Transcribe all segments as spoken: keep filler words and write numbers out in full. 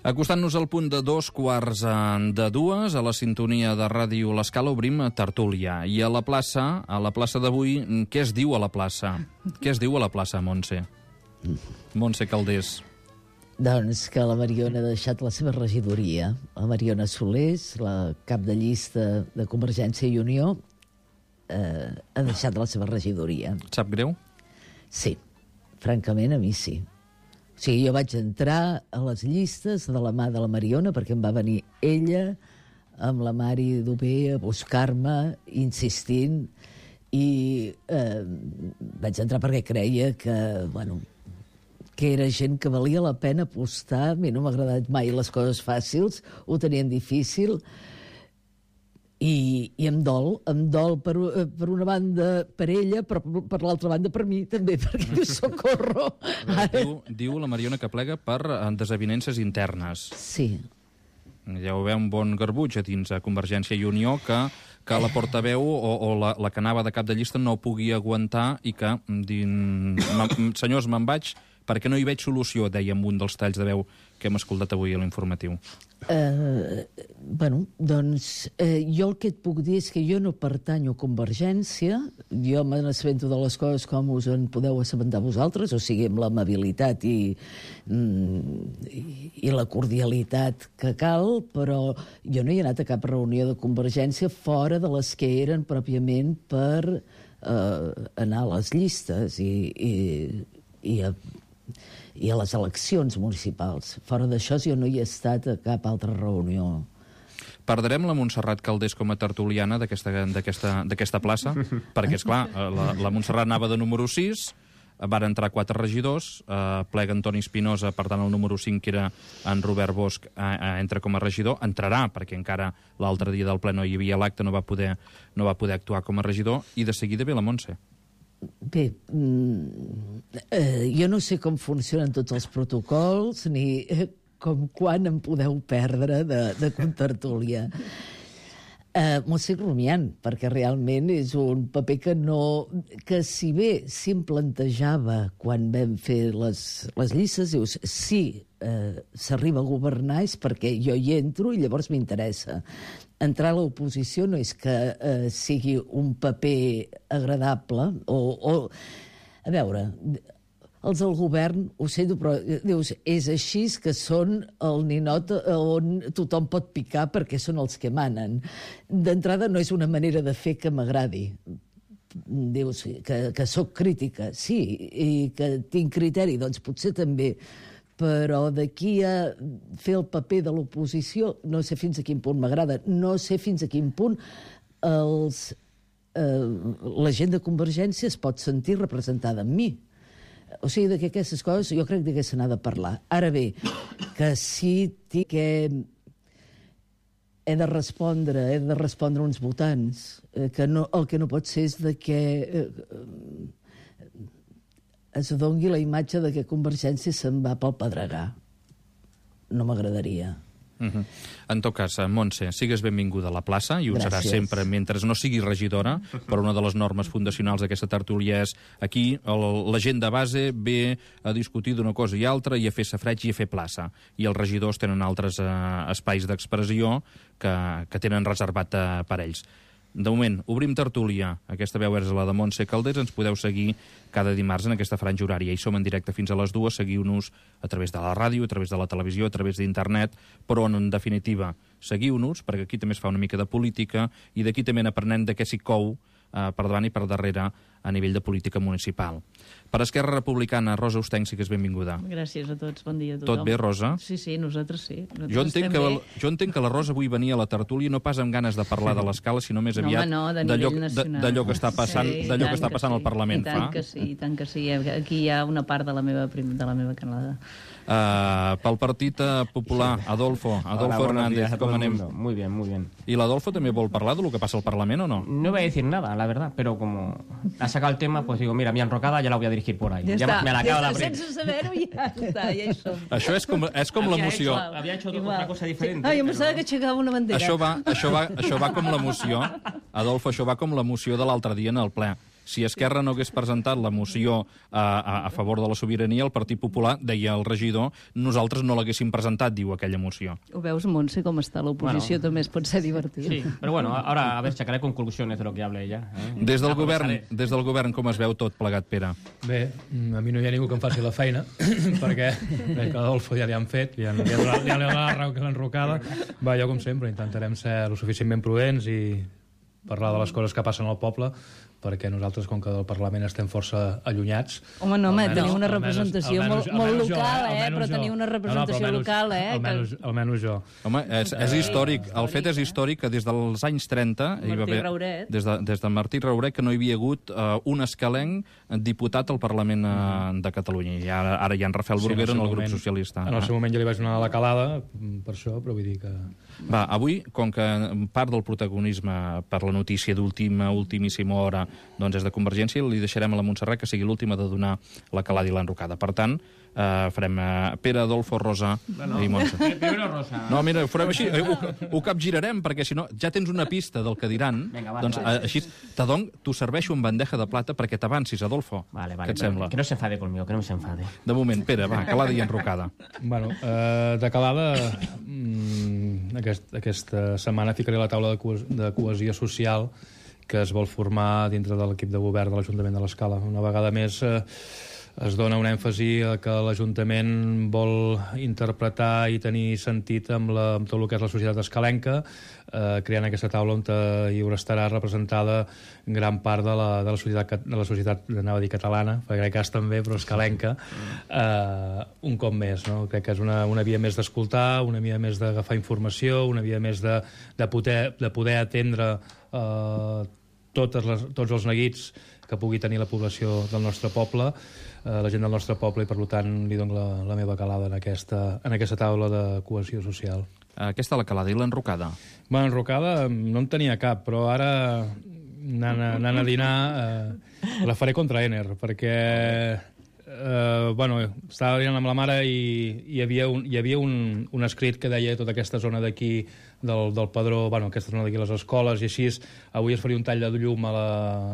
Acostant-nos al punt de dos quarts de dues, a la sintonia de Ràdio L'Escala obrim tertúlia. I a la plaça, a la plaça d'avui, què es diu a la plaça? Què es diu a la plaça, Montse? Montse Calders. Doncs que la Mariona ha deixat la seva regidoria. La Mariona Solés, la cap de llista de Convergència i Unió, eh, ha deixat la seva regidoria. Et sap greu? Sí, francament a mi sí. O sigui, jo vaig entrar a les llistes de la mà de la Mariona perquè em va venir ella amb la Mari Dubé a buscar-me, insistint, i eh, vaig entrar perquè creia que, bueno, que era gent que valia la pena apostar. A mi no m'ha agradat mai les coses fàcils, ho tenien difícil, i, i em dol, em dol per, per una banda per ella, però per l'altra banda per mi també, perquè diu socorro. Diu, diu la Mariona que plega per desavinences internes. Sí. Ja ho veu un bon garbuig a dins a Convergència i Unió que, que la portaveu o, o la, la que anava de cap de llista no pugui aguantar i que, din, senyors, me'n vaig perquè no hi veig solució, deia en un dels talls de veu que hem escoltat avui a l'informatiu. Uh, bueno, doncs uh, jo el que et puc dir és que jo no pertanyo a Convergència, jo me n'assabento de les coses com us en podeu assabentar vosaltres, o sigui, amb l'amabilitat i, mm, i, i la cordialitat que cal, però jo no he anat a cap reunió de Convergència fora de les que eren pròpiament per uh, anar a les llistes i, i, i a i a les eleccions municipals. Fora d'això, jo no hi he estat a cap altra reunió. Perdrem la Montserrat Calders com a tertuliana d'aquesta plaça? Perquè, esclar, la, la Montserrat anava de número sis, van entrar quatre regidors, eh, plega Antoni Espinosa, per tant el número cinc, que era en Robert Bosch, eh, eh, entra com a regidor, entrarà, perquè encara l'altre dia del ple no hi havia l'acte, no va poder, no va poder actuar com a regidor, i de seguida ve la Montse. Bé, eh, jo no sé com funcionen tots els protocols ni eh, com quan em podeu perdre de, de contertúlia. Eh, M'ho estic rumiant, perquè realment és un paper que no... que si bé sí em plantejava quan vam fer les, les llistes, dius, sí, eh, s'arriba a governar és perquè jo hi entro i llavors m'interessa. Entrar a l'oposició no és que eh, sigui un paper agradable o, o... A veure, els del govern, ho sento, però dius, és així que són el ninot on tothom pot picar perquè són els que manen. D'entrada no és una manera de fer que m'agradi. Dius que, que sóc crítica, sí, i que tinc criteri, doncs potser també, però d'aquí a fer el paper de l'oposició no sé fins a quin punt m'agrada, no sé fins a quin punt els, eh, la gent de Convergència es pot sentir representada en mi. O sigui, que aquestes coses jo crec que se n'ha de parlar. Ara bé, que sí que he de respondre, he de respondre uns votants, eh, que no, el que no pot ser és de que eh, es dongui la imatge de que Convergència se'n va pel pedregar. No m'agradaria. Uh-huh. En tot cas, Montse, sigues benvinguda a la plaça i ho Gràcies. serà sempre mentre no sigui regidora, però una de les normes fundacionals d'aquesta tertúlia és aquí el, la gent de base ve a discutir d'una cosa i altra i a fer safreig i a fer plaça, i els regidors tenen altres eh, espais d'expressió que, que tenen reservat eh, per ells. De moment, obrim tertúlia. Aquesta veu és la de Montse Calders. Ens podeu seguir cada dimarts en aquesta franja horària. I som en directe fins a les dues. Seguiu-nos a través de la ràdio, a través de la televisió, a través d'internet, però en definitiva, seguiu-nos, perquè aquí també es fa una mica de política i d'aquí també n'aprenem de què s'hi cou eh, per davant i per darrere a nivell de política municipal. Per Esquerra Republicana, Rosa Ostenc, sí que és benvinguda. Gràcies a tots, bon dia a tothom. Tot bé, Rosa? Sí, sí, nosaltres sí. Nosaltres jo, entenc que, també... jo entenc que la Rosa avui venia a la tertúlia no pas amb ganes de parlar de l'Escala, sinó més aviat no, home, no, d'allò d'allò que està passant, sí, d'allò que està passant sí. al Parlament. I tant fa. que sí, i tant que sí. Aquí hi ha una part de la meva, prim... de la meva canalada. Uh, pel Partit Popular, Adolfo, Adolfo Hola, Hernández, com anem? Muy bien, muy bien. ¿Y l'Adolfo també vol parlar de lo que passa al Parlament o no? No voy a decir nada, la verdad, pero como ha sacado el tema, pues digo, mira, mi enrocada ya la voy a dirigir por ahí. Ja, ya està, me la acabo de abrir. Sense saber-ho ja està, ja hi som. Això és com, és com l'emoció. Había hecho otra cosa diferente. Ah, jo pero... pensava que aixecava una bandera. Això va, això, va, això va com l'emoció. Adolfo, això va com l'emoció de l'altre dia en el ple. si Esquerra no hagués presentat la moció a, a, a favor de la sobirania, el Partit Popular, deia el regidor, nosaltres no l'haguéssim presentat, diu aquella moció. Ho veus, Montse, com està l'oposició, Bueno. també es pot ser divertit. Sí, pero bueno, ahora a ver, sacaré conclusiones de lo que hable ella. ¿eh? Des del, Ya govern, aprovecharé. des del govern, com es veu tot plegat, Pere? Bé, a mi no hi ha ningú que em faci la feina, perquè veig que l'Adolfo ja li han fet, li han, li han donat, li han donat la raó que l'enrocada. Va, jo, com sempre, intentarem ser lo suficientment prudents i parlar de les coses que passen al poble, perquè nosaltres, com que del Parlament estem força allunyats... Home, no, home, almenys- teniu una almenys- representació almenys- molt, molt almenys jo, local, eh? almenys Però jo. teniu una No, no, però representació almenys- local, eh? Almenys, almenys jo. Home, és, és històric. El fet és històric que des dels anys trenta... hi va Martí haver- Rauret. Des de, des de Martí Rauret, que no hi havia hagut uh, un escalenc diputat al Parlament uh, de Catalunya. I ara, ara hi ha en Rafael Sí, Bruguera el en el seu grup moment- socialista. En el seu moment jo li vaig donar la calada mm, per això, però vull dir que... Va, avui, com que part del protagonisme per la notícia d'última, ultimíssima hora, doncs és de Convergència, li deixarem a la Montserrat que sigui l'última de donar la calada i l'enrocada. Per tant, eh, farem eh, Pere, Adolfo, Rosa Bueno, i Montse. primero Rosa. No, mira, ho farem així, eh, ho, ho capgirarem, perquè si no ja tens una pista del que diran. Vinga, va, doncs va. eh, així, Tadong, t'ho serveixo en bandeja de plata perquè t'avancis, Adolfo. Vale, vale. Què et pero sembla? Que no se enfade conmigo, que no se enfade. De moment, Pere, va, calada i enrocada. Bueno, eh, de calada, mm, aquest, aquesta setmana ficaré la taula de, cohes de cohesió social que es vol formar dintre de l'equip de govern de l'Ajuntament de l'Escala. Una vegada més eh, es dona un èmfasi a que l'Ajuntament vol interpretar i tenir sentit amb, la, amb tot el que és la societat escalenca, eh, creant aquesta taula on hi haurà estarà representada gran part de la, de la societat, de la societat, anava a dir catalana, perquè crec que és també, però escalenca, eh, un cop més. No? Crec que és una, una via més d'escoltar, una via més d'agafar informació, una via més de, de, poder, de poder atendre eh, totes les, tots els neguits que pugui tenir la població del nostre poble, eh, la gent del nostre poble, i per tant li dono la, la meva calada en aquesta, en aquesta taula de cohesió social. Aquesta la calada i l'enrocada. Bueno, enrocada no en tenia cap, però ara anant a, anant a dinar eh, la faré contra Ener, perquè eh, bueno, estava dinant amb la mare i hi havia un, hi havia un, un escrit que deia tota aquesta zona d'aquí del, del Padró, bueno, aquesta zona d'aquí les escoles i així, avui es faria un tall de llum a la,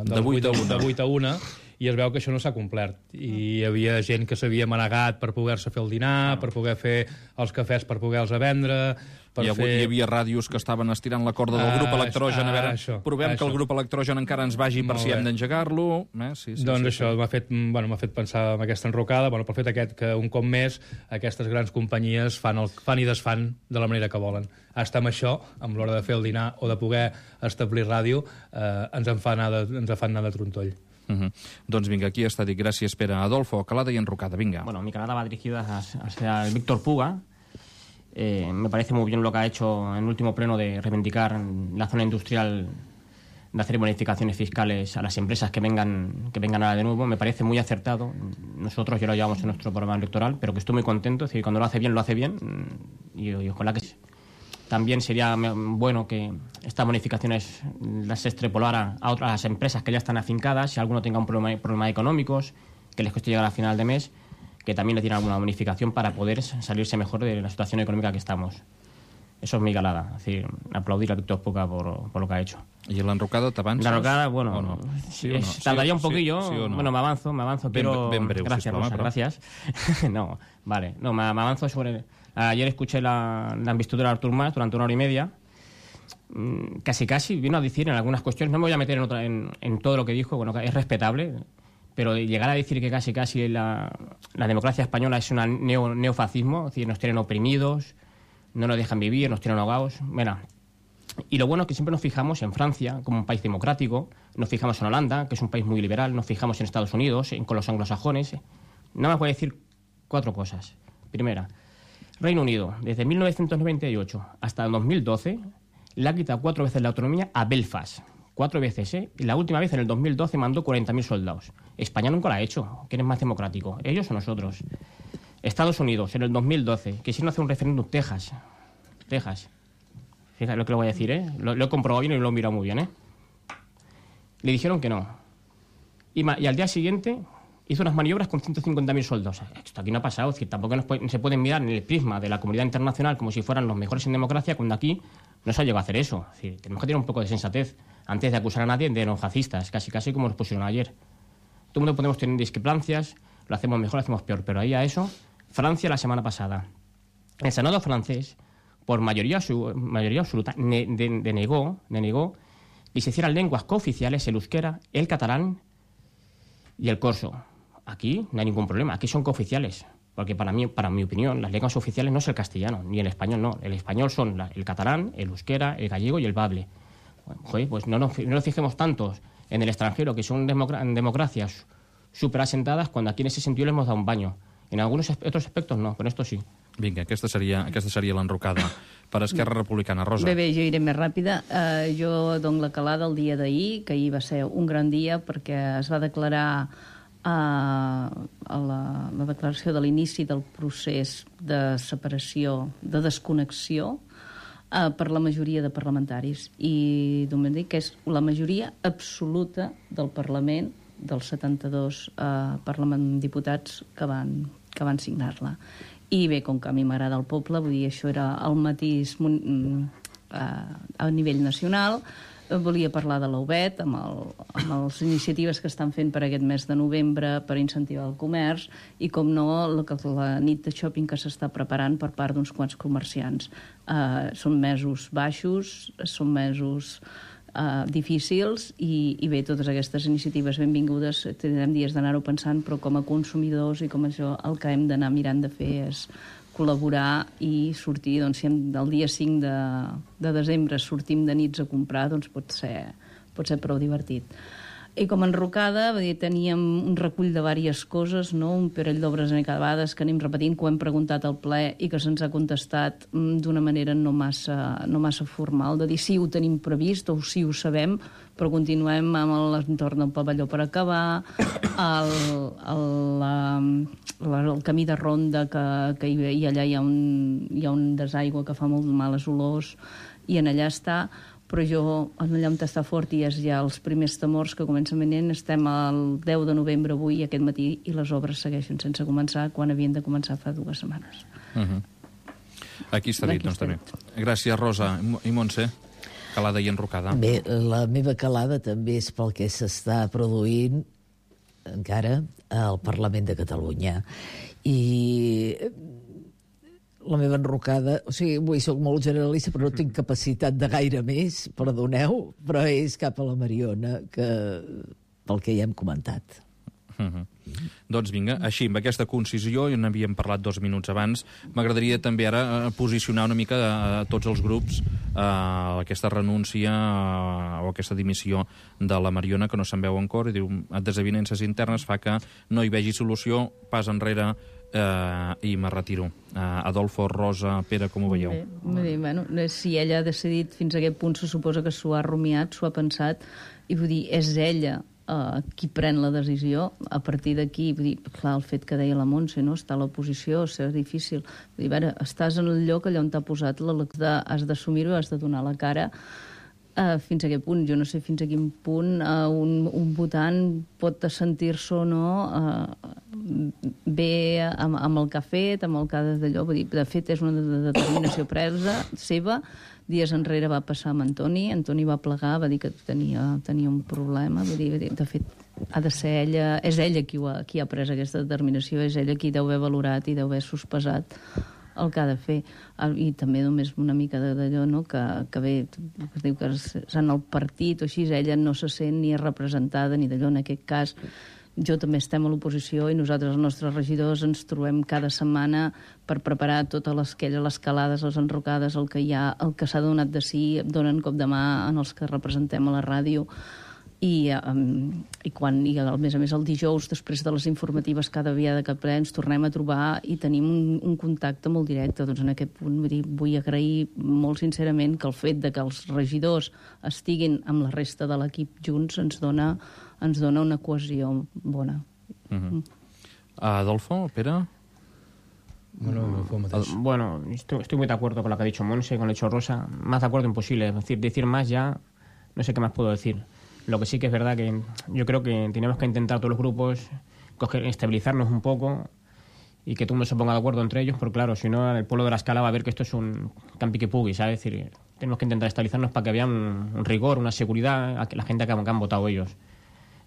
De vuit a una. de vuit a una, i es veu que això no s'ha complert. I hi havia gent que s'havia manegat per poder-se fer el dinar, per poder fer els cafès per poder-los vendre, per Hi, ha, fer... hi havia ràdios que estaven estirant la corda del Ah, grup electrogen. A veure, ah, això, provem això. que el grup electrogen encara ens vagi per Molt si bé. hem d'engegar-lo. Eh? Sí, sí, Doncs sí, això m'ha fet, bueno, m'ha fet pensar en aquesta enrocada, bueno, pel fet aquest que un cop més aquestes grans companyies fan, el, fan i desfan de la manera que volen. Hasta amb això, amb l'hora de fer el dinar o de poder establir ràdio, eh, ens en fa anar de, ens en fan anar de trontoll. Uh -huh. Doncs vinga, aquí està dit. Gràcies, Pere. Adolfo, calada i enrocada, vinga. Bueno, mi calada va dirigida hacia el Víctor Puga. Eh, me parece muy bien lo que ha hecho en el último pleno de reivindicar la zona industrial, de hacer bonificaciones fiscales a las empresas que vengan que vengan ahora de nuevo. Me parece muy acertado. Nosotros ya lo llevamos en nuestro programa electoral, pero que estoy muy contento. Es decir, cuando lo hace bien, lo hace bien. Y, y ojalá que también sería bueno que estas bonificaciones las extrapolara a otras empresas que ya están afincadas. Si alguno tenga un problema, problemas económicos, que les cueste llegar a final de mes, que también le tiene alguna bonificación para poder salirse mejor de la situación económica que estamos. Eso es mi calada. Es decir, aplaudir a Víctor Puga por, por lo que ha hecho. I l'enrocada t'avances? La enrocada, bueno, o no? Sí o no? es- tardaría un Sí, poquillo. sí, sí o no? Bueno, me avanzo, me avanzo, Ben- pero... ben breu, gracias, sisplau, Rosa, però. gracias. No, vale. No, me, me avanzo sobre... Ayer escuché la, la investidura de Artur Mas durante una hora y media. Mm, Casi, casi vino a decir en algunas cuestiones, no me voy a meter en, otra, en, en todo lo que dijo, bueno, que es respetable, pero llegar a decir que casi, casi la, la democracia española es un neo, neofascismo, es decir, nos tienen oprimidos, no nos dejan vivir, nos tienen ahogados. Mira, y lo bueno es que siempre nos fijamos en Francia como un país democrático, nos fijamos en Holanda, que es un país muy liberal, nos fijamos en Estados Unidos, en, con los anglosajones. Nada más voy a decir cuatro cosas. Primera, Reino Unido, desde mil novecientos noventa y ocho hasta el dos mil doce, le ha quitado cuatro veces la autonomía a Belfast. Cuatro veces, ¿eh? Y la última vez, en el dos mil doce, mandó cuarenta mil soldados. España nunca lo ha hecho. ¿Quién es más democrático? ¿Ellos o nosotros? Estados Unidos, en el dos mil doce, quisieron hacer un referéndum. Texas. Texas. Fíjate lo que le voy a decir, ¿eh? Lo, lo he comprobado bien y lo he mirado muy bien, ¿eh? Le dijeron que no. Y, ma- y al día siguiente hizo unas maniobras con ciento cincuenta mil soldados. Esto aquí no ha pasado. Es decir, tampoco nos puede- se pueden mirar en el prisma de la comunidad internacional como si fueran los mejores en democracia, cuando aquí no se ha llegado a hacer eso. Es decir, tenemos que tener un poco de sensatez. antes de acusar a nadie de neofascistas, casi casi como nos pusieron ayer. Todo el mundo podemos tener discrepancias, lo hacemos mejor, lo hacemos peor, pero ahí a eso, Francia la semana pasada, el Senado francés, por mayoría, su, mayoría absoluta, ne, de, denegó, denegó que se hicieran lenguas cooficiales el euskera, el catalán y el corso. Aquí no hay ningún problema, aquí son cooficiales. Porque para mí, para mi opinión, las lenguas oficiales no es el castellano, ni el español, no. El español son la, el catalán, el euskera, el gallego y el bable. Bueno, joder, pues no nos, no nos fijemos tantos en el extranjero, que son democra democracias súper asentadas, cuando aquí en ese sentido les hemos dado un baño. En algunos otros aspectos no, però esto sí. Vinga, aquesta seria, aquesta seria l'enrocada per Esquerra Republicana. Rosa. Bé, bé, jo iré més ràpida. Uh, jo dono la calada el dia d'ahir, que ahir va ser un gran dia perquè es va declarar a la, la declaració de l'inici del procés de separació, de desconnexió uh, per la majoria de parlamentaris. I només dic que és la majoria absoluta del Parlament, dels setanta-dos uh, parlament diputats que van, que van signar-la. I bé, com que a mi m'agrada el poble, vull dir, això era el mateix uh, a nivell nacional. Volia parlar de l'U B E T, amb, el, amb les iniciatives que estan fent per aquest mes de novembre per incentivar el comerç i, com no, la, la nit de shopping que s'està preparant per part d'uns quants comerciants. Uh, són mesos baixos, són mesos uh, difícils i, i bé, totes aquestes iniciatives benvingudes, tindrem dies d'anar-ho pensant, però com a consumidors i com això el que hem d'anar mirant de fer és col·laborar i sortir, doncs, si el dia cinc de, de desembre sortim de nits a comprar, doncs pot ser, pot ser prou divertit. I com a enrocada, dir, teníem un recull de diverses coses, no? Un parell d'obres acabades que anem repetint, que ho hem preguntat al ple i que se'ns ha contestat d'una manera no massa, no massa formal, de dir sí, ho tenim previst o sí, ho sabem, però continuem amb l'entorn del pavelló per acabar, el, el, la, el camí de ronda, que, que hi, allà hi ha, un, hi ha un desaigua que fa molt males olors, i en allà està, però jo, allà on està fort, i és ja els primers temors que comencen venint, estem al deu de novembre avui, aquest matí, i les obres segueixen sense començar, quan havien de començar fa dues setmanes. Uh -huh. Aquí està dit, doncs, també. Gràcies, Rosa. I Montse? Calada i enrocada. Bé, la meva calada també és pel que s'està produint encara al Parlament de Catalunya. I la meva enrocada, o sigui, avui soc molt generalista, però no tinc capacitat de gaire més, perdoneu, però és cap a la Mariona, que, pel que ja hem comentat. Uh -huh. Doncs vinga, així, amb aquesta concisió, i n'havíem parlat dos minuts abans, m'agradaria també ara posicionar una mica a, a tots els grups a aquesta renúncia a, o aquesta dimissió de la Mariona, que no se'n veu encara, i diu, desavinences internes fa que no hi vegi solució, pas enrere, eh, i me retiro. Eh, Adolfo, Rosa, Pere, com ho veieu? Bé, bé, bueno, si ella ha decidit fins a aquest punt, se suposa que s'ho ha rumiat, s'ho ha pensat, i vull dir, és ella Uh, qui pren la decisió. A partir d'aquí, vull dir, clar, el fet que deia la Montse, no? Està a l'oposició, és difícil. Vull dir, a veure, estàs en el lloc allà on t'ha posat l'elecció, has d'assumir-ho, has de donar la cara. Uh, fins a aquest punt, jo no sé fins a quin punt uh, un, un votant pot sentir-se o no uh, bé amb, amb el que ha fet, amb el que ha d'allò. Vull dir, de fet, és una determinació presa seva. Dies enrere va passar amb Antoni, Antoni va plegar, va dir que tenia, tenia un problema, vull dir, de fet, ha de ser ella, és ella qui, ha, qui ha pres aquesta determinació, és ella qui deu haver valorat i deu haver sospesat el que ha de fer. I també només una mica d'allò, no?, que, que bé, es diu que és en el partit o així, ella no se sent ni representada ni d'allò, en aquest cas. Jo també estem a l'oposició i nosaltres, els nostres regidors, ens trobem cada setmana per preparar totes les, les calades, les enrocades, el que hi ha, el que s'ha donat de si, donen cop de mà en els que representem a la ràdio. I, um, i, quan, i a més a més el dijous, després de les informatives cada dia de cap ple, ens tornem a trobar i tenim un, un contacte molt directe. Doncs en aquest punt vull, dir, vull agrair molt sincerament que el fet de que els regidors estiguin amb la resta de l'equip junts ens dona, ens dona una cohesió bona. Uh -huh. Adolfo, Pere? Bueno, bueno estoy, estoy muy de acuerdo con lo que ha dicho Monse, con lo que ha dicho Rosa. Más de acuerdo imposible. Es decir, decir más ya, no sé qué más puedo decir. Lo que sí que es verdad que yo creo que tenemos que intentar todos los grupos coger, estabilizarnos un poco y que todo el mundo se ponga de acuerdo entre ellos, porque claro, si no, el pueblo de la Escala va a ver que esto es un campi que pugui, ¿sabes? Es decir, tenemos que intentar estabilizarnos para que vean un, un rigor, una seguridad a que la gente que han, que han votado ellos.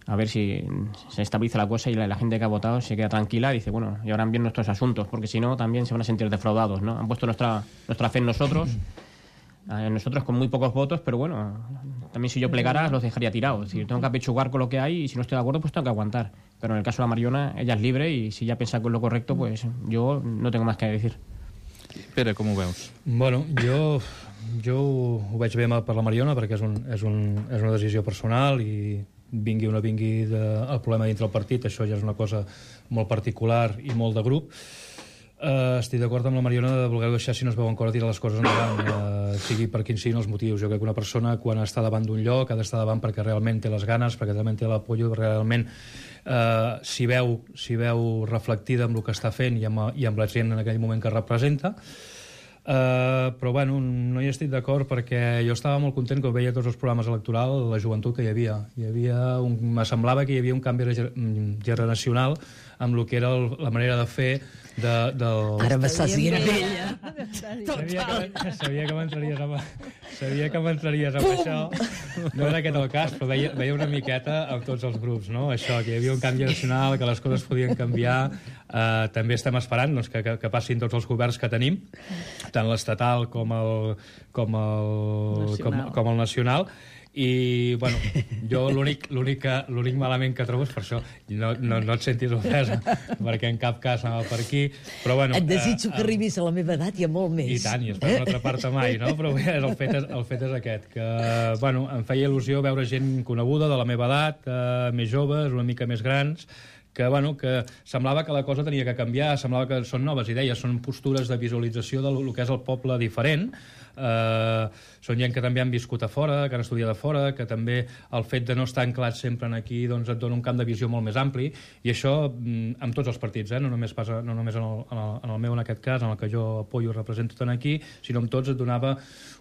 A ver si se estabiliza la cosa y la, la gente que ha votado se queda tranquila y dice, bueno, llevarán bien nuestros asuntos, porque si no, también se van a sentir defraudados, ¿no? Han puesto nuestra, nuestra fe en nosotros, en nosotros con muy pocos votos, pero bueno, también si yo plegara los dejaría tirados. Es decir, tengo que apechugar con lo que hay y si no estoy de acuerdo, pues tengo que aguantar. Pero en el caso de la Mariona, ella es libre y si ella piensa que es lo correcto, pues yo no tengo más que decir. Pere, com ho veus? Bueno, jo, jo ho veig bé per la Mariona perquè és, un, és, un, és una decisió personal i vingui o no vingui de, el problema dintre del partit, això ja és una cosa molt particular i molt de grup. Uh, estic d'acord amb la Mariona de voler deixar, si no es veuen cor, tirar les coses endavant, uh, sigui per quins siguin els motius. Jo crec que una persona, quan està davant d'un lloc, ha d'estar davant perquè realment té les ganes, perquè realment té l'apollo, realment uh, s'hi veu, s'hi veu reflectida amb el que està fent i amb, i amb la gent en aquell moment que representa. Uh, però bueno, no hi estic d'acord perquè jo estava molt content quan veia tots els programes electorals la joventut que hi havia. Hi havia un, me semblava que hi havia un canvi generacional amb el que era el, la manera de fer de, del... Ara m'estàs dient vella. Sabia que, sabia que m'entraries amb, sabia que m'entraries amb això. No era aquest el cas, però veia, veia una miqueta amb tots els grups, no? Això, que hi havia un canvi nacional, que les coses podien canviar. Uh, també estem esperant doncs, que, que, que passin tots els governs que tenim, tant l'estatal com el, com el, com, com el nacional. I, bueno, jo l'únic l'únic malament que trobo és per això. No, no, no et sentis ofesa, perquè en cap cas anava per aquí. Però, bueno, et desitjo eh, que arribis a la meva edat i a molt més. I tant, i espero no atrapar-te mai, no? Però bé, el fet és, el fet és aquest, que, bueno, em feia il·lusió veure gent coneguda de la meva edat, eh, més joves, una mica més grans, que, bueno, que semblava que la cosa tenia que canviar, semblava que són noves idees, són postures de visualització del que és el poble diferent. Uh, són gent que també han viscut a fora, que han estudiat a fora, que també el fet de no estar anclats sempre aquí doncs et dona un camp de visió molt més ampli, i això amb tots els partits, eh? no només, pas, no només en, el, en, el, en el meu en aquest cas, en el que jo apoyo i represento tant aquí, sinó amb tots et donava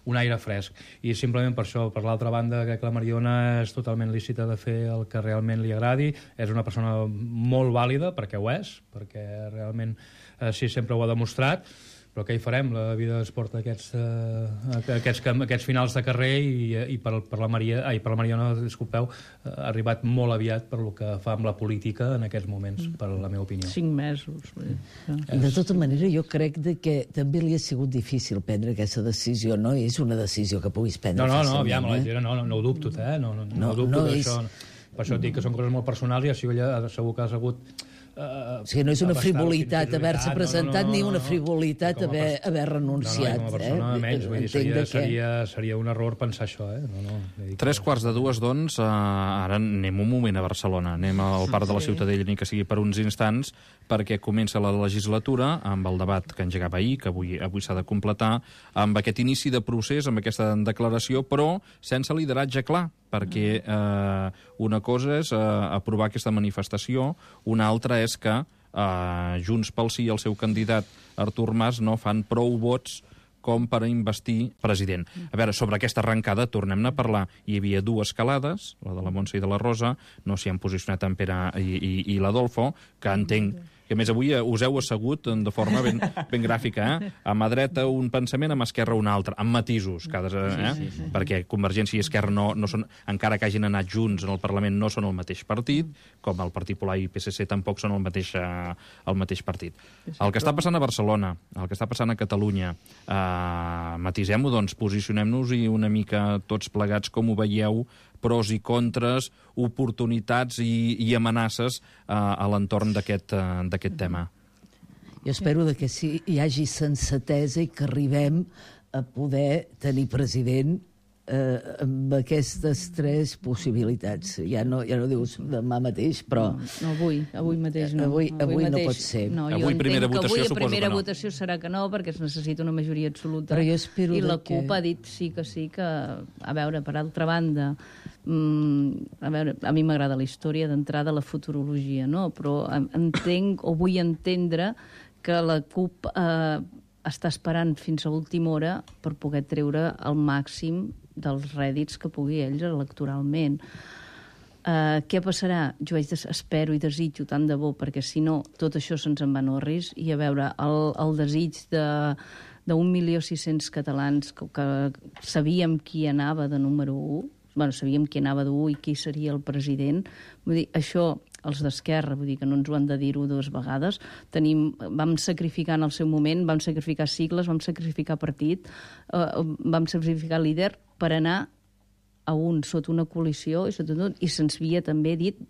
un aire fresc. I simplement per això, per l'altra banda, crec que la Mariona és totalment lícita de fer el que realment li agradi, és una persona molt vàlida, perquè ho és, perquè realment així sempre ho ha demostrat, però què hi farem? La vida es porta aquests, uh, aquests, aquests finals de carrer i, i per, per, la Maria, ai, per la Mariona, disculpeu, ha arribat molt aviat per el que fa amb la política en aquests moments, per la meva opinió. Cinc mesos. De tota manera, jo crec de que també li ha sigut difícil prendre aquesta decisió, no és una decisió que puguis prendre no, no, fàcilment. No, aviam, eh? la, no, no, no ho dubto, eh? No, no, no, no, no dubto no d'això. és... Per això et dic que són coses molt personals i així ella segur que has hagut... Uh, o sigui, no és una frivolitat haver-se presentat, no, no, no, ni una frivolitat no, no. haver, haver renunciat. No, no, com a persona eh? menys, vull dir, seria, seria, seria un error pensar això. Eh? No, no, Tres que... quarts de dues, doncs, uh, ara anem un moment a Barcelona, anem al Parc de la Ciutadella, ni que sigui per uns instants, perquè comença la legislatura amb el debat que engegava ahir, que avui, avui s'ha de completar, amb aquest inici de procés, amb aquesta declaració, però sense lideratge clar, perquè eh, una cosa és eh, aprovar aquesta manifestació, una altra és que eh, Junts pel Sí i el seu candidat Artur Mas no fan prou vots com per a investir president. A veure, sobre aquesta arrencada tornem-ne a parlar. Hi havia dues calades, la de la Montse i de la Rosa, no s'hi han posicionat en Pere i, i, i l'Adolfo, que entenc que a més avui us heu assegut de forma ben, ben gràfica, eh? A mà dreta un pensament, a mà esquerra un altre, amb matisos, cada, eh? Sí, sí, sí. Perquè Convergència i Esquerra, no, no són, encara que hagin anat junts en el Parlament, no són el mateix partit, com el Partit Popular i P S C tampoc són el mateix, eh, el mateix partit. El que està passant a Barcelona, el que està passant a Catalunya, eh, matisem-ho, doncs, posicionem-nos-hi una mica tots plegats, com ho veieu, pros i contres, oportunitats i, i amenaces eh, a l'entorn d'aquest eh, d'aquest tema. Jo espero que sí, hi hagi sensatesa i que arribem a poder tenir president eh, amb aquestes tres possibilitats. Ja no, ja no dius demà mateix, però... No, no avui, avui mateix no. Avui, avui, avui mateix, no pot ser. No, avui primera votació avui suposo primera que no. votació serà que no, perquè es necessita una majoria absoluta. Però jo espero I la que... CUP ha dit sí que sí, que, a veure, per altra banda, mm, a veure, a mi m'agrada la història d'entrada, la futurologia, no? Però entenc, o vull entendre, que la CUP eh, està esperant fins a última hora per poder treure el màxim dels rèdits que pugui ells electoralment. Uh, què passarà? Jo vaig des espero i desitjo tant de bo, perquè si no tot això se'ns en va no ris, i a veure, el, el desig de d'un milió sis-cents catalans que, que sabíem qui anava de número u, bueno, sabíem qui anava d'u i qui seria el president. Vull dir, això, els d'Esquerra, vull dir que no ens ho han de dir-ho dues vegades, tenim, vam sacrificar en el seu moment, vam sacrificar sigles, vam sacrificar partit, eh, vam sacrificar líder per anar a un sota una coalició i, sota tot, i se'ns havia també dit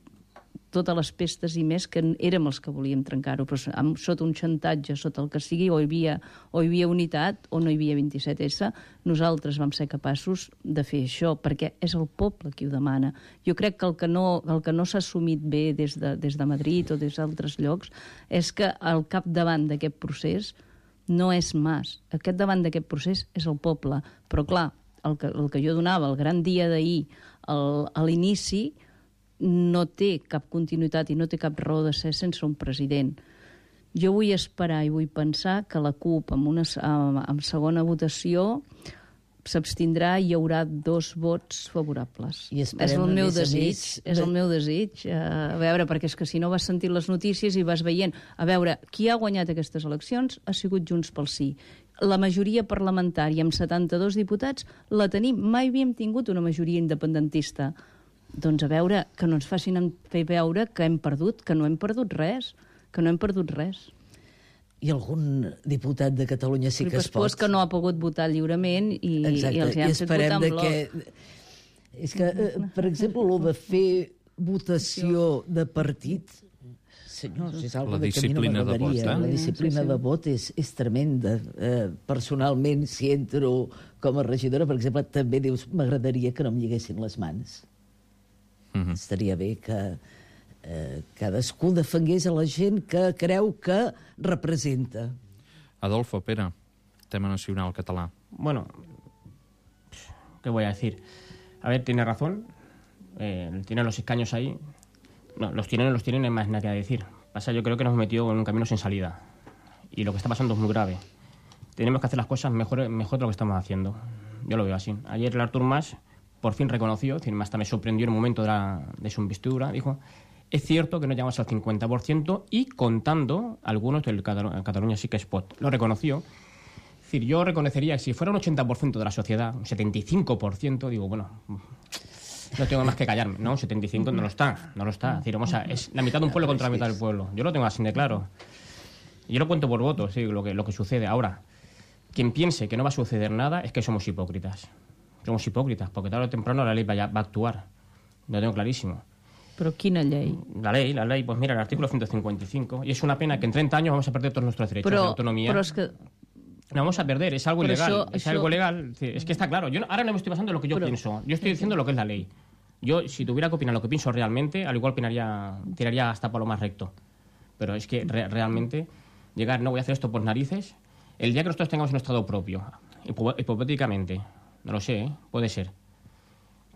totes les pestes i més que érem els que volíem trencar-ho, però amb, sota un xantatge, sota el que sigui, o hi havia, o hi havia unitat o no hi havia vint-i-set essa, nosaltres vam ser capaços de fer això, perquè és el poble qui ho demana. Jo crec que el que no, el que no s'ha assumit bé des de, des de Madrid o des d'altres llocs és que al capdavant d'aquest procés no és Mas. Aquest davant d'aquest procés és el poble. Però clar, el que, el que jo donava el gran dia d'ahir al, a l'inici no té cap continuïtat i no té cap raó de ser sense un president. Jo vull esperar i vull pensar que la CUP amb, una, amb segona votació s'abstindrà i hi haurà dos vots favorables. I és el meu desig, més, és el meu desig. A veure, perquè és que si no vas sentir les notícies i vas veient, a veure, qui ha guanyat aquestes eleccions ha sigut Junts pel Sí. La majoria parlamentària amb setanta-dos diputats la tenim. Mai havíem tingut una majoria independentista. Doncs a veure, que no ens facin fer veure que hem perdut, que no hem perdut res, que no hem perdut res. I algun diputat de Catalunya sí que es pot... que no ha pogut votar lliurement i, exacte, i els hi han fet votar en bloc. Que... És que, per exemple, el de fer votació de partit... Senyors, és la disciplina de vot, eh? La disciplina de vot és, és tremenda. Eh, personalment, si entro com a regidora, per exemple, també dius, m'agradaria que no em lliguessin les mans. Uh-huh. Estaria bé que eh, cadascú defengués a la gent que creu que representa. Adolfo, Pere, tema nacional català. Bueno, ¿qué voy a decir? A ver, tiene razón. Eh, tiene los escaños ahí. No, los tienen, los tienen, no hay más nada que decir. Pasa, yo creo que nos hemos metido en un camino sin salida. Y lo que está pasando es muy grave. Tenemos que hacer las cosas mejor, mejor de lo que estamos haciendo. Yo lo veo así. Ayer el Artur Mas por fin reconoció, es decir, hasta me sorprendió en el momento de, la, de su investidura, dijo, es cierto que no llegamos al cincuenta por ciento y contando algunos del Cataluña, Cataluña sí que es pot. Lo reconoció. Es decir, yo reconocería que si fuera un ochenta por ciento de la sociedad, un setenta y cinco por ciento, digo, bueno, no tengo más que callarme, ¿no? setenta y cinco no lo está, no lo está. Es decir, vamos a, es la mitad de un pueblo contra la mitad del pueblo. Yo lo tengo así de claro. Yo lo cuento por votos, sí, lo que, lo que sucede. Ahora, quien piense que no va a suceder nada es que somos hipócritas. Somos hipócritas, porque tarde o temprano la ley va a, va a actuar. Lo tengo clarísimo. ¿Pero quina ley? La ley, la ley, pues mira, el artículo ciento cincuenta y cinco. Y es una pena que en treinta años vamos a perder todos nuestros derechos pero, de autonomía. Pero es que... No vamos a perder, es algo pero ilegal. Eso, es eso... algo legal. Es que está claro. Yo no, ahora no me estoy basando en lo que yo pero... pienso. Yo estoy diciendo lo que es la ley. Yo, si tuviera que opinar lo que pienso realmente, al igual opinaría, tiraría hasta por lo más recto. Pero es que re, realmente llegar, no voy a hacer esto por narices. El día que nosotros tengamos un estado propio, hipotéticamente, no lo sé, ¿eh? Puede ser,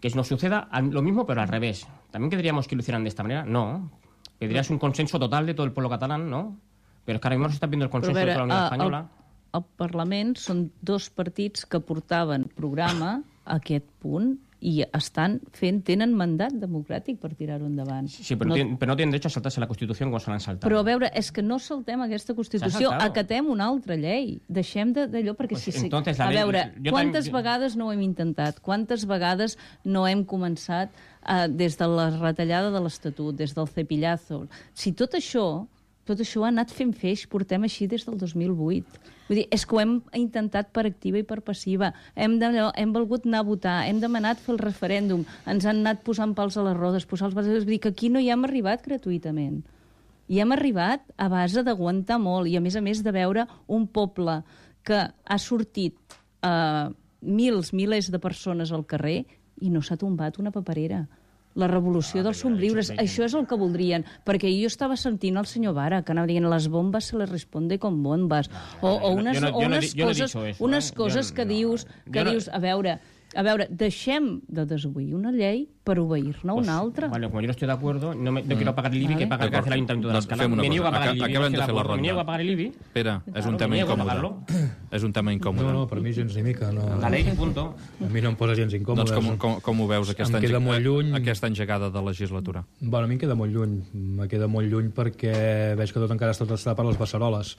que nos suceda lo mismo pero al revés. ¿También querríamos que lo hicieran de esta manera? No. Pedirías un consenso total de todo el pueblo catalán, ¿no? Pero es que ahora mismo se está viendo el consenso veure, de toda la Unió a, Espanyola. Al, al Parlament són dos partits que portaven programa a aquest punt i estan fent, tenen mandat democràtic per tirar-ho endavant. Sí, pero no, tienen, pero no tienen derecho a saltarse la Constitució com se l'han saltat. Però a veure, és que no saltem aquesta Constitució, acatem una altra llei. Deixem d'allò, perquè pues si... Entonces, a ley, veure, quantes también... vegades no ho hem intentat? Quantes vegades no hem començat eh, des de la retallada de l'Estatut, des del cepillazo? Si tot això... Tot això ha anat fent feix, portem així des del dos mil vuit. Vull dir, és que ho hem intentat per activa i per passiva. Hem, de, hem volgut anar a votar, hem demanat fer el referèndum, ens han anat posant pals a les rodes, posar els bases... Vull dir que aquí no hi hem arribat gratuïtament. Hi hem arribat a base d'aguantar molt i, a més a més, de veure un poble que ha sortit eh, mils, milers de persones al carrer i no s'ha tombat una paperera. La revolució ah, dels somriures, això és el que voldrien, perquè jo estava sentint el senyor Vara, que anava dient les bombes se les responde con bombes, o, o unes, no, o unes no, coses, no eso, unes eh? coses que, no, dius, que no, dius, a veure, a veure, deixem de desobeir una llei per obeir-ne pues, una altra. Vale, como yo no estoy de acuerdo, no, me, no mm. quiero pagar el I B I vale. Que paga el Ayuntamiento de l'Escala. Me niego a pagar el I B I. Acabem de fer la ronda. Me niego a pagar el I B I. Espera, és un tema incòmode. És un tema incòmode. No, no, per mi gens ni mica. No. La ley, punto. A mi no em posa gens incòmode. Doncs com, com, com ho veus, aquesta, Em queda molt lluny. aquesta engegada de legislatura? Bueno, a mi em queda molt lluny. Me queda molt lluny perquè veig que tot encara està, està per les beceroles.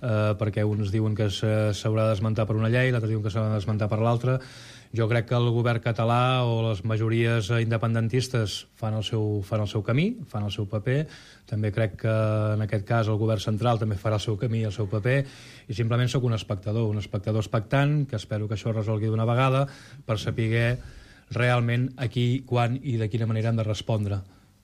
Uh, perquè uns diuen que s'haurà d'esmentar per una llei, l'altre diuen que s'ha d'esmentar per l'altra. Jo crec que el govern català o les majories independentistes fan el seu, fan el seu camí, fan el seu paper. També crec que en aquest cas el govern central també farà el seu camí i el seu paper, i simplement sóc un espectador, un espectador expectant, que espero que això es resolgui d'una vegada per saber realment a qui, quan i de quina manera hem de respondre,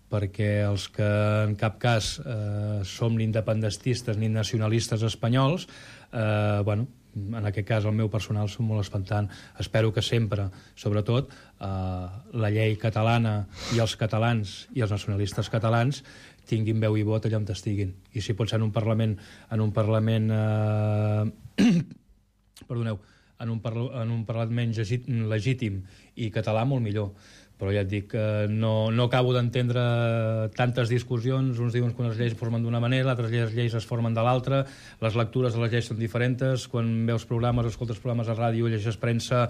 perquè els que en cap cas eh, som ni independentistes ni nacionalistes espanyols, eh, bueno, en aquest cas el meu personal som molt espantant. Espero que sempre, sobretot, eh, la llei catalana i els catalans i els nacionalistes catalans tinguin veu i vot allà on estiguin. I si pot ser en un Parlament, en un Parlament eh, perdoneu, en un, parla, en un Parlament legítim i català, molt millor. Però ja et dic que no, no acabo d'entendre tantes discussions. Uns diuen que unes lleis es formen d'una manera, altres lleis, lleis es formen de l'altra, les lectures de les lleis són diferents, quan veus programes, escoltes programes a ràdio, llegeixes premsa,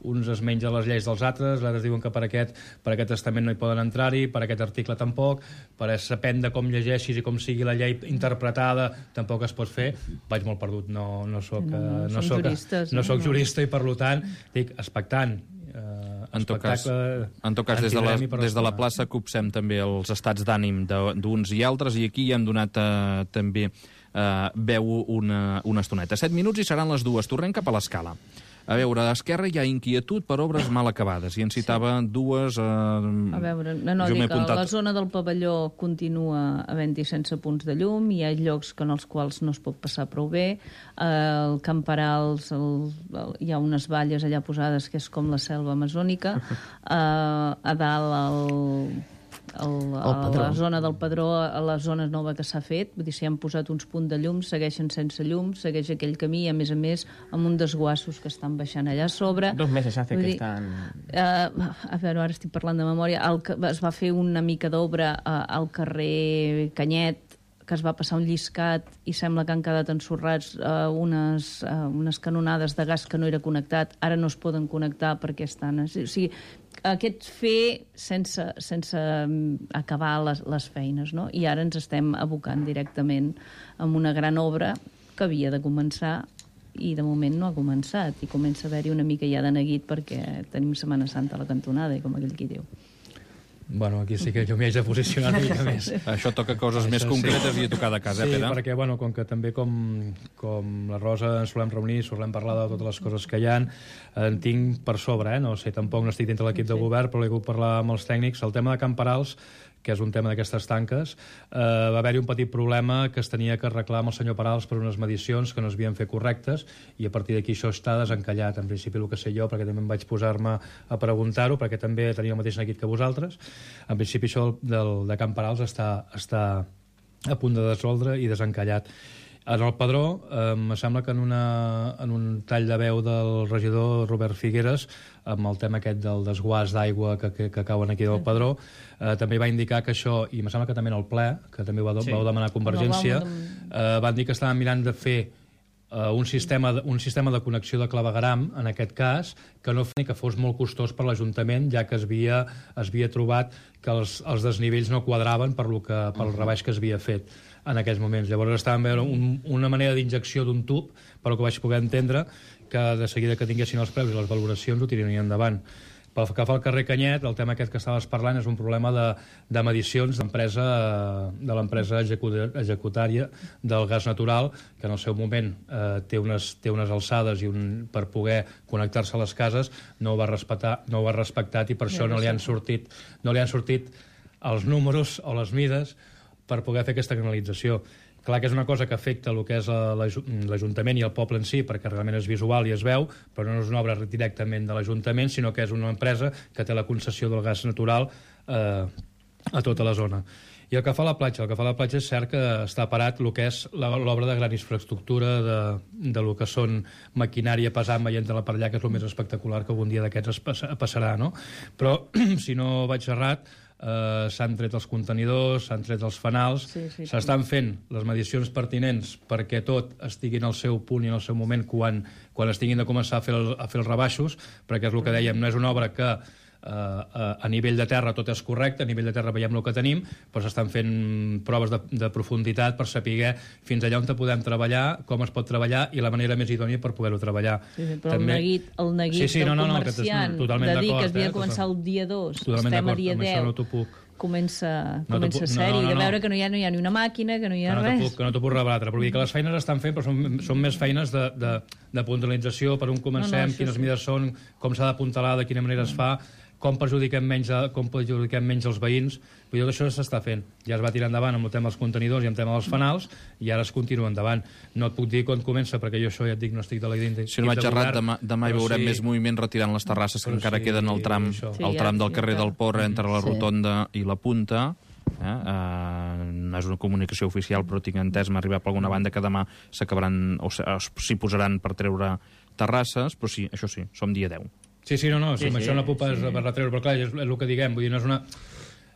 uns es mengen les lleis dels altres, altres diuen que per aquest, per aquest testament no hi poden entrar-hi, per aquest article tampoc, per depèn de com llegeixis i com sigui la llei interpretada, tampoc es pot fer. Vaig molt perdut, no, no soc, no, no, no, soc, juristes, no, no soc jurista i per tant dic expectant. Uh, en tot cas, en tot cas des, de la, des de la plaça copsem també els estats d'ànim d'uns i altres, i aquí hem donat uh, també uh, veu una, una estoneta. Set minuts i seran les dues. Tornem cap a l'escala. A veure, a Esquerra hi ha inquietud per obres mal acabades, i en citava sí. dues... Eh, a veure, no, no, dic que la zona del pavelló continua havent-hi sense punts de llum, hi ha llocs en els quals no es pot passar prou bé, eh, el Camperals, el, el, hi ha unes valles allà posades que és com la selva amazònica, eh, a dalt el... El, a la zona del Padró, a la zona nova que s'ha fet, vull dir, s'hi han posat uns punts de llum, segueixen sense llum, segueix aquell camí, a més a més, amb un desguassos que estan baixant allà a sobre. Dos mesos hace que estan... Uh, a veure, ara estic parlant de memòria, el, es va fer una mica d'obra uh, al carrer Canyet, que es va passar un lliscat i sembla que han quedat ensorrats uh, unes, uh, unes canonades de gas que no era connectat, ara no es poden connectar perquè estan... O sigui, aquest fer sense, sense acabar les, les feines, no? I ara ens estem abocant directament amb una gran obra que havia de començar i de moment no ha començat, i comença a haver-hi una mica ja de neguit perquè tenim Setmana Santa a la cantonada, com aquell qui diu. Bueno, aquí sí que jo m'hi haig de posicionar una mica més. Això toca coses Això més concretes sí. I a tocar de casa, sí, eh, Pere? Sí, perquè, bueno, com que també com, com la Rosa ens solem reunir, solem parlar de totes les coses que hi ha, en tinc per sobre, eh? No sé, tampoc no estic dintre l'equip sí. de govern, però l'he hagut parlar amb els tècnics. El tema de Camperals, que és un tema d'aquestes tanques, eh, va haver-hi un petit problema que es tenia que arreglar amb el senyor Parals per unes medicions que no es havien fet correctes, i a partir d'aquí això està desencallat. En principi el que sé jo, perquè també em vaig posar-me a preguntar-ho, perquè també tenia el mateix neguit que vosaltres, en principi això del, del, de Can Parals està, està a punt de resoldre i desencallat. En el Padró, eh, em sembla que en, una, en un tall de veu del regidor Robert Figueres, amb el tema aquest del desguàs d'aigua que, que, que cauen aquí del Padró, eh, també va indicar que això, i em sembla que també en el ple, que també va, sí. vau demanar Convergència, eh, van dir que estaven mirant de fer eh, un, sistema de, un sistema de connexió de clavegaram, en aquest cas, que no ni que fos molt costós per l'Ajuntament, ja que es havia, es havia trobat que els, els desnivells no quadraven per lo que, pel rebaix que es havia fet en aquells moments. Llavors estàvem veure un, una manera d'injecció d'un tub, però que vaig poder entendre que de seguida que tinguessin els preus i les valoracions ho tirarien endavant. Pel que fa al carrer Canyet, el tema aquest que estaves parlant és un problema de, de medicions d'empresa de l'empresa executària del gas natural, que en el seu moment eh, té, unes, té unes alçades i un, per poder connectar-se a les cases no ho va respectar, no ho ha respectat, i per això no li han sortit, no li han sortit els números o les mides per poder fer aquesta canalització. Clar que és una cosa que afecta el que és l'Ajuntament i el poble en si, perquè realment és visual i es veu, però no és una obra directament de l'Ajuntament, sinó que és una empresa que té la concessió del gas natural eh, a tota la zona. I el que fa la platja, el que fa la platja és cert que està parat el que és l'obra de gran infraestructura, de, de lo que són maquinària pesant veient-la per allà, que és el més espectacular que algun dia d'aquests passarà, no? Però, si no vaig errat, eh, s'han tret els contenidors, s'han tret els fanals, Sí, sí, s'estan fent les mediacions pertinents perquè tot estigui en el seu punt i en el seu moment quan, quan estiguin de començar a fer, el, a fer els rebaixos, perquè és el que dèiem, no és una obra que Uh, uh, a nivell de terra tot és correcte, a nivell de terra veiem el que tenim, però s'estan fent proves de, de profunditat per saber fins allà on te podem treballar, com es pot treballar i la manera més idònia per poder-ho treballar. Sí, sí, però També... el neguit, el neguit sí, sí, del no, no, no, comerciant que de dir que es havia eh, de començar el dia dos, totalment estem a dia amb deu, això no t'ho puc. comença, No comença puc- sèrie, no, no, de no. veure que no hi, ha, no hi ha ni una màquina, que no hi ha que no t'ho res. puc, que no t'ho puc rebatre, però vull dir que les feines estan fent, però són, són més feines de, de, de puntualització, per on comencem, No, no, això quines sí. mides són, com s'ha d'apuntalar, de quina manera es fa, com perjudiquem menys, a, com perjudiquem menys els veïns. Vull dir, tot això s'està fent. Ja es va tirar endavant amb el tema dels contenidors i amb el tema dels fanals, i ara es continua endavant. No et puc dir quan comença, perquè jo això ja et dic, no estic de la ident- Si no vaig de errat, govern, demà, demà hi però veurem sí, més moviment retirant les terrasses que Però encara sí, queden al tram, això. Sí, al ja- tram del ja carrer està. del Port entre la Sí. rotonda i la punta. Eh? Uh, no és una comunicació oficial, però tinc entès, m'ha arribat per alguna banda que demà s'acabaran o s'hi posaran per treure terrasses, però sí, això sí, som dia deu. Sí, sí, no, no, sí, Sí, sí, això no puc pas sí. per retreure, però clar, és, és el que diguem, vull dir, no és una...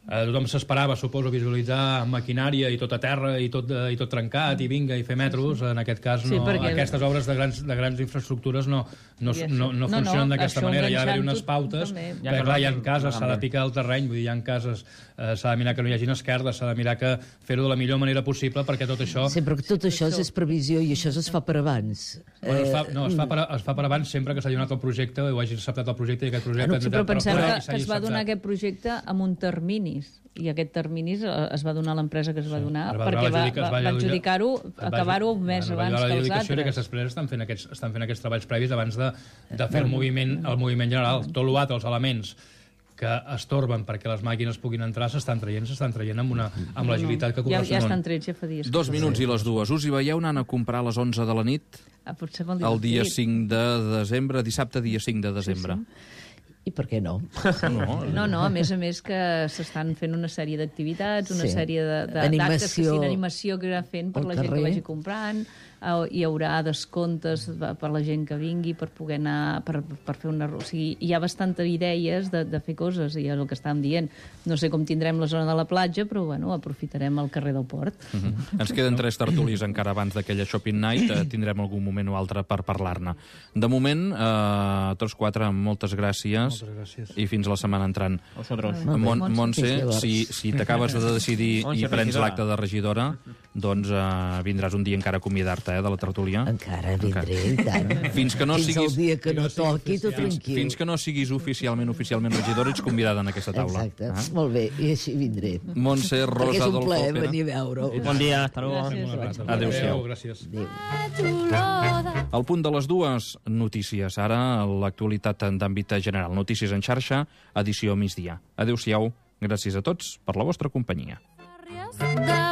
Eh, tothom s'esperava, suposo, visualitzar maquinària i tot a terra i tot, eh, i tot trencat i vinga i fer metros. En aquest cas, no, Sí, perquè- aquestes obres de grans, de grans infraestructures no, no, I això- no, no no, no, funcionen d'aquesta això manera. Hi ha d'haver enganxant unes tot pautes, també. Ja perquè que clar, hi ha no- cases, no s'ha de també. picar el terreny, vull dir, hi ha cases, eh, s'ha de mirar que no hi hagin esquerdes, s'ha de mirar que fer-ho de la millor manera possible perquè tot això... Sí, però que tot això és previsió i això es fa per abans. Bueno, es, fa, Eh, no, es, fa per, es fa per abans sempre que s'hagi donat el projecte o hagi acceptat el projecte i aquest projecte... Ah, no, Sí, però pensem però- que, i que s'hagi es va donar acceptat. aquest projecte amb un terminis, i aquest terminis eh, es va donar a l'empresa que es va donar, Es va perquè donar va, l'adjudica- es va, va va adjudicar- adjudicar-ho, es va- acabar-ho un mes bueno, va abans donar que els l'adjudicació i altres. aquestes empreses estan fent aquests, estan fent aquests treballs previs abans de, de fer el moviment, el moviment general. Tot l'altre, els elements que estorben perquè les màquines puguin entrar, s'estan traient, s'estan traient amb, una, amb l'agilitat que Ja, ja correspon. estan trets, ja fa dies. Dos minuts i les dues. Us hi veieu anant a comprar a les onze de la nit Ah, potser vol dir el dia divertit. cinc de desembre, dissabte dia cinc de desembre? I per què no? No, No, no, a més a més que s'estan fent una sèrie d'activitats, una Sí. sèrie de- de- Animació d'actes que sí, d'animació que irà fent per al la gent que carrer. vagi comprant, eh, hi haurà descomptes per la gent que vingui per poder anar, per, per fer una... O sigui, hi ha bastantes idees de, de fer coses, i és el que estàvem dient. No sé com tindrem la zona de la platja, però bueno, aprofitarem el carrer del Port. Uh -huh. Ens queden tres tertulis encara abans d'aquella Shopping Night. Eh, tindrem algun moment o altre per parlar-ne. De moment, eh, tots quatre, moltes gràcies. Moltes gràcies. I fins la setmana entrant. Vosotros. Molt bé, Mon Montse, Montse, fins llavors. si, si t'acabes de decidir Montse, i prens regidora. l'acte de regidora, doncs eh, vindràs un dia encara a acomiadar-te eh, de la tertúlia. Encara vindré, i tant. Fins que no Fins siguis... el dia que no toqui, tot Fins, tranquil. fins que no siguis oficialment oficialment regidora, ets convidada en aquesta taula. Exacte, Eh? molt bé, i així vindré. Montse, Perquè Rosa, és un Adolfo, plaer Pere. venir a veure-ho. Buen día, hasta luego. Gràcies. Adéu-siau. Gràcies. Adéu. Al punt de les dues, notícies. Ara, l'actualitat d'àmbit general. Notícies en xarxa, edició migdia. Adéu-siau. Gràcies a tots per la vostra companyia. de